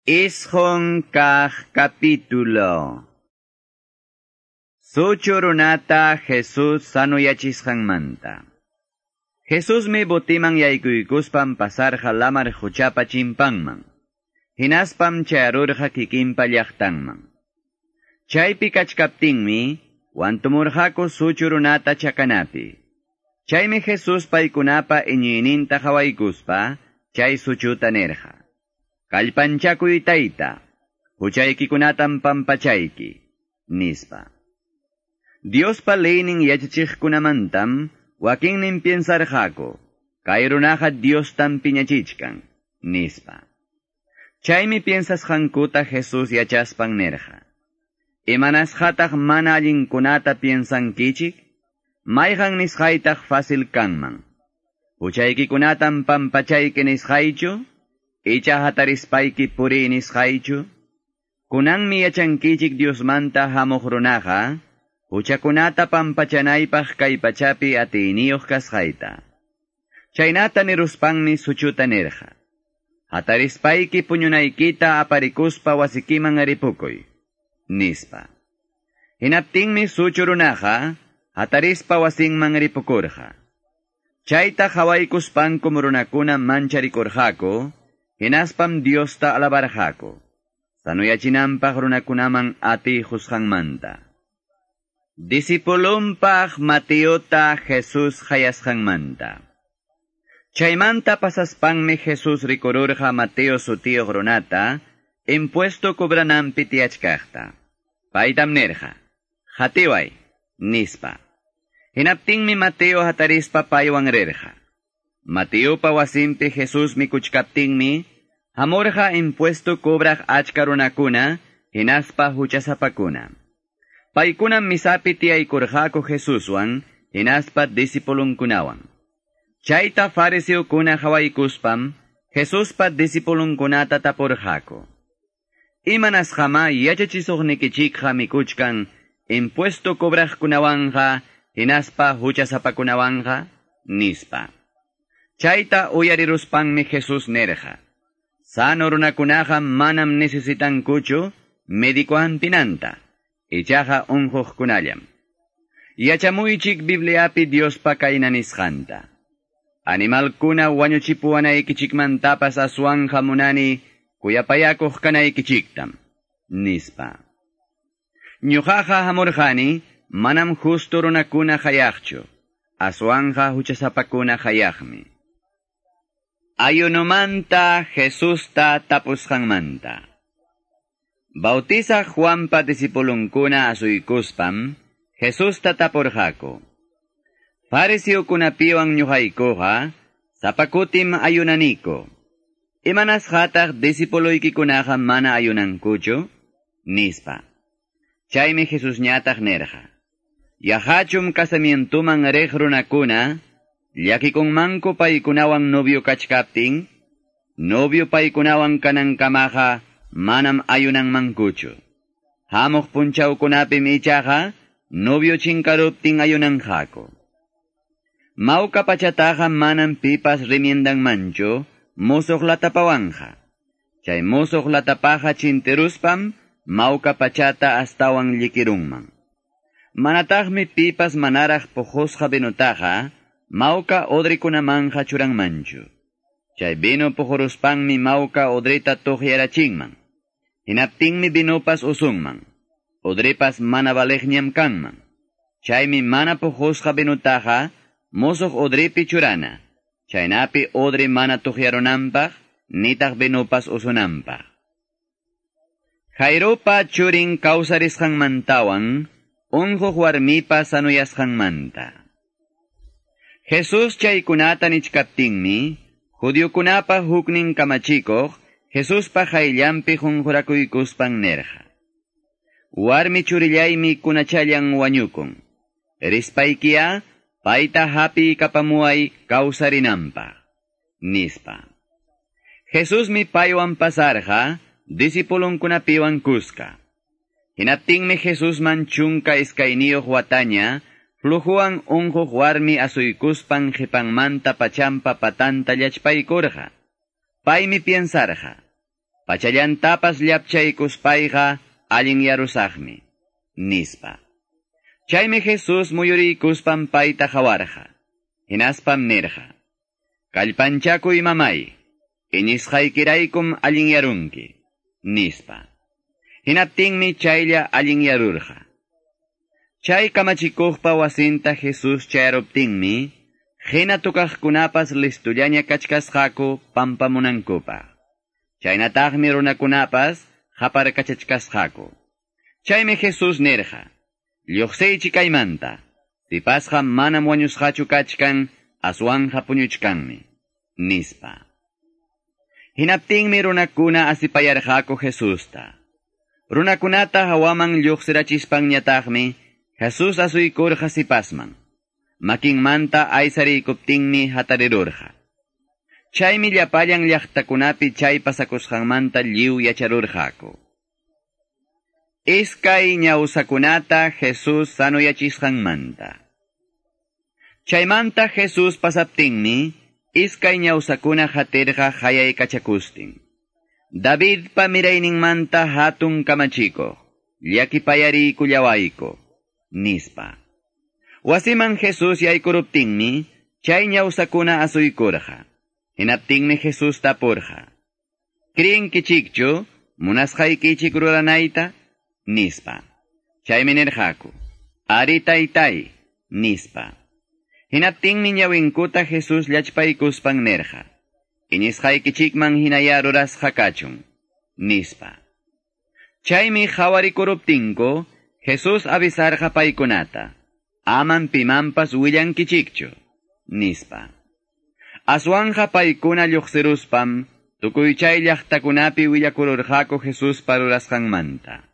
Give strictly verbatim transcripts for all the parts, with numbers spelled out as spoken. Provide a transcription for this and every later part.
Isqun kaq capítulo. Suchu runata Jesús sanuyachisqanmanta. Jesusmi botiman yaykuykuspan pasarqa lamar quchapa chimpanman. Hinaspam chayarurqa kikinpa llaqtanman. Chaypi kachkaptinmi wantumurqaku suchu runata chakanapi. Chaymi Jesús paykunapa iñiyninta qhawaykuspa chay suchuta nirqa: "Kallpanchakuy tayta, huchaykikunatam pampachayki", nispa. Diospa leynin yachachiqkunamantam wakinnin piensarqaku, kay runaqa Diostam piñachichkan, nispa. Chaymi piensasqankuta Jesús yachaspan nirqa: "Imanasqataq mana allinkunata piensankichik? Mayqan nisqaytaq fácil kanman? Huchaykikunatam pampachayki nisqaychu? Icha hatarispayki puriy nisqaychu? Kunanmi yachankichik Diosmanta hamuq runaqa, huchakunata pampachanaypaq kay pachapi atiyniyuq kasqayta." Chaynata niruspanmi suchuta nirqa: "Hatarispayki puñunaykita aparikuspa wasikiman ripukuy", nispa. Hinaptinmi suchu runaqa hatarispa wasinman ripukurqa. Chayta qhawaykuspankum runakuna mancharikurqaku, hinaspam Diosta alabarqaku, sanuyachinanpaq runakunaman atiy qusqanmanta. Discipulunpaq Mateota Jesús qayasqanmanta. Chaymanta pasaspanmi Jesús rikururqa Mateo sutiyuq runata, impuesto cobrananpi tiyachkaqta. Paytam nirqa: "Qatiway", nispa. Hinaptinmi Mateo hatarispa paywan rirqa. Mateopa wasinpi Jesús mikuchkaptinmi, hamurqa impuesto cobraq achka runakuna, hinaspa huchasapakuna. Paykunam misapi tiyaykurqaku Jesuswan, hinaspa discipulunkunawan. Chayta fariseokuna qhawaykuspam, Jesuspa discipulunkunata tapurqaku: "Imanasqamá yachachisuqnikichikqa mikuchkan impuesto cobraqkunawanqa, hinaspa huchasapakunawanqa?" nispa. Chayta uyariruspanmi Jesús nirqa: "Sano runakunaqa manam necesitankuchu médico hampinanta, ichaqa unquqkunallam. Yachamuychik Bibliapi Diospa kayna nisqanta: Animalkuna wañuchipuwanaykichikmantapas aswanqa munani kuyapayakuq kanaykichiktam", nispa. Ñuqaqa hamurqani manam justo runakuna qayaqchu, aswanqa huchasapakuna qayaqmi. Ayunomanta Jesusta tapusqanmanta. Bautizaq Juanpa discipulunkuna asuykuspam Jesusta tapurqaku: "Fariseokunapiwan ñuqaykuqa sapa kutim ayunaniku. Imanasqataq discipuloykikunaqa mana ayunankuchu?" nispa. Chaymi Jesusñataq nirqa: "Yaqachum casamientuman riq runakuna llakikunmanku paykunawan novio kachkaptin? Novio paykunawan kanankamaqa manam ayunanmankuchu. Hamuq punchawkunapim ichaqa novio chinkaruptin ayunanqaku. Mawka pachataqa manam pipas remiendanmanchu musuq latapawanqa. Chay musuq latapaqa chintiruspam mawka pachata astawan llikirunman. Manataqmi pipas manaraq puqusqa vinutaqa mawka odrikunamanqa churanmanchu. Chay vino puquruspanmi mawka odrita tuqyarachinman. Hinaptinmi vinupas usunman, odripas mana valeqñam kanman. Chaymi mana puqusqa vinutaqa musuq odripi churana, chaynapi odri mana tuqyarunanpaq, nitaq vinupas usunanpaq." Jairopa churin kawsarisqanmantawan, unquq warmipa sanuyasqanmanta. Jesús chaykunata nichkaptinmi, judiokunapa huknin kamachikuq Jesuspa qayllanpi qunqurakuykuspan nirqa: "Warmi churillaymi kunachallan wañukun. Rispaykiya payta hapiykapamuway kawsarinanpaq", nispa. Jesusmi paywan pasarqa discipulunkunapiwan kuska. Hinaptinmi Jesusman chunka iskayniyuq wataña flujuwan unquq warmi asuykuspan qipanmanta pachampa patanta llachpaykurqa. Paymi piensarqa: Pachallantapas llapchaykuspayqa allinyarusaqmi, nispa. Chaymi Jesus muyuriykuspan payta qawarqa. Hinaspam nirqa: Kallpanchakuy mamay, iñisqaykiraykum allinyarunki, nispa. Hinaptinmi chaylla allinyarurqa. Chay kamachikuqpa wasinta Jesus chayaruptinmi, hina tukaqkunapas listullaña kachkasqaku pampamunankupaq. Chaynataqmi runakunapas qaparkachachkasqaku. Chaymi Jesus nirqa: Lluqsiychik kaymanta, sipasqa manam wañusqachu kachkan, aswanja puñuchkanmi, nispa. Hinaptinmi runakuna asipayarqaku Jesusta. Runakunata hawaman lluqsirachispanñataqmi, Jesus asuykurqa sipasman. Makinmanta aysariykuptinmi hatarirurqa. Chaymi llapallan llaqtakunapi chay pasakusqanmanta lliw yacharurqaku. Iskay ñawsakunata Jesus sanuyachisqanmanta. Chaymanta Jesus pasaptinmi, iskay ñawsakuna hatirqa hayaykachakustin. Davidpa mirayninmanta hatun kamachikuq, llakipayariykullawayku, nispa. Wasiman Jesus yaykuruptinmi, chay ñawsakuna asuykurqa. Hinaptinmi Jesus tapurqa: Creenkichikchu munasqaykichik ruranayta? Nispa. Chaymi nirqaku: Ari taytay, nispa. Hinaptinmi ñawinkuta Jesus llachpaykuspan nirqa: Iñisqaykichikman hinaya rurasqa kachun, nispa. Chaymi qhawarikuruptinku, Jesus avisarqa paykunata: Aman pimanpas willankichikchu, nispa. Aswanja paykuna lluqsiruspam, tukuy chay llaqtakunapi willakururqaku Jesuspa rurasqanmanta.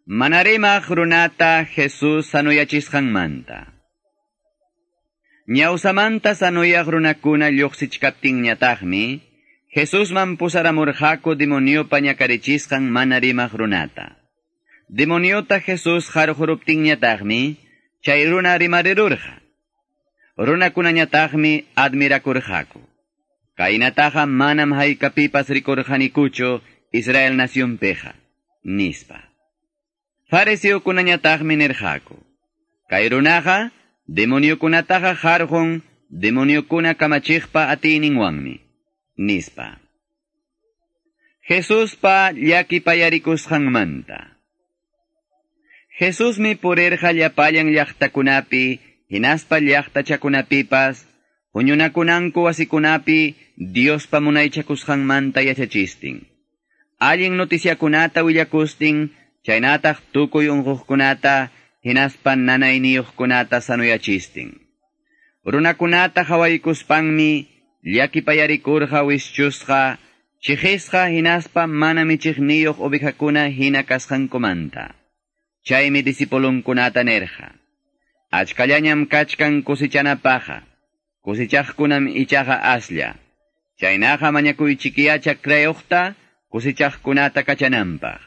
Mana rimaq runata Jesus sanuyachisqanmanta. Ñawsamanta sanuyaq runakuna lluqsichkaptinñataqmi, Jesusman pusaramurqaku demoniopa ñakarichisqan mana rimaq runata. Demoniota Jesus qarquruptinñataqmi, chay runa rimarirurqa. Runakunañataqmi admirakurqaku. Kaynataqa manam haykapipas rikurqanikuchu Israel nacionpiqa, nispa. Fariseokunañataqmi nirqaku: Kay runaqa demoniokunataqa qarqun demoniokuna kamachiqpa atiyninwanmi, nispa. Jesuspa llakipayarikusqanmanta. Jesusmi purirqa llapallan llaqtakunapi, hinaspa llaqtachakunapipas, huñunakunanku wasikunapi Diospa munaychakusqanmanta yachachistin. Allin noticiakunata willakustin, chaynataq tukuy unquqkunata, hinaspa nanayniyuqkunata sanuyachistin. Runakunata qhawaykuspanmi llakipayarikurqa wischusqa, chiqisqa hinaspa mana michiqniyuq ovejakuna hina kasqankumanta. Chaymi discipulunkunata nirqa: Achkallañam kachkan kusichanapaqqa, kusichaqkunam ichaqa aslla. Chaynaqa mañakuychikiya chakrayuqta kusichaqkunata kachananpaq.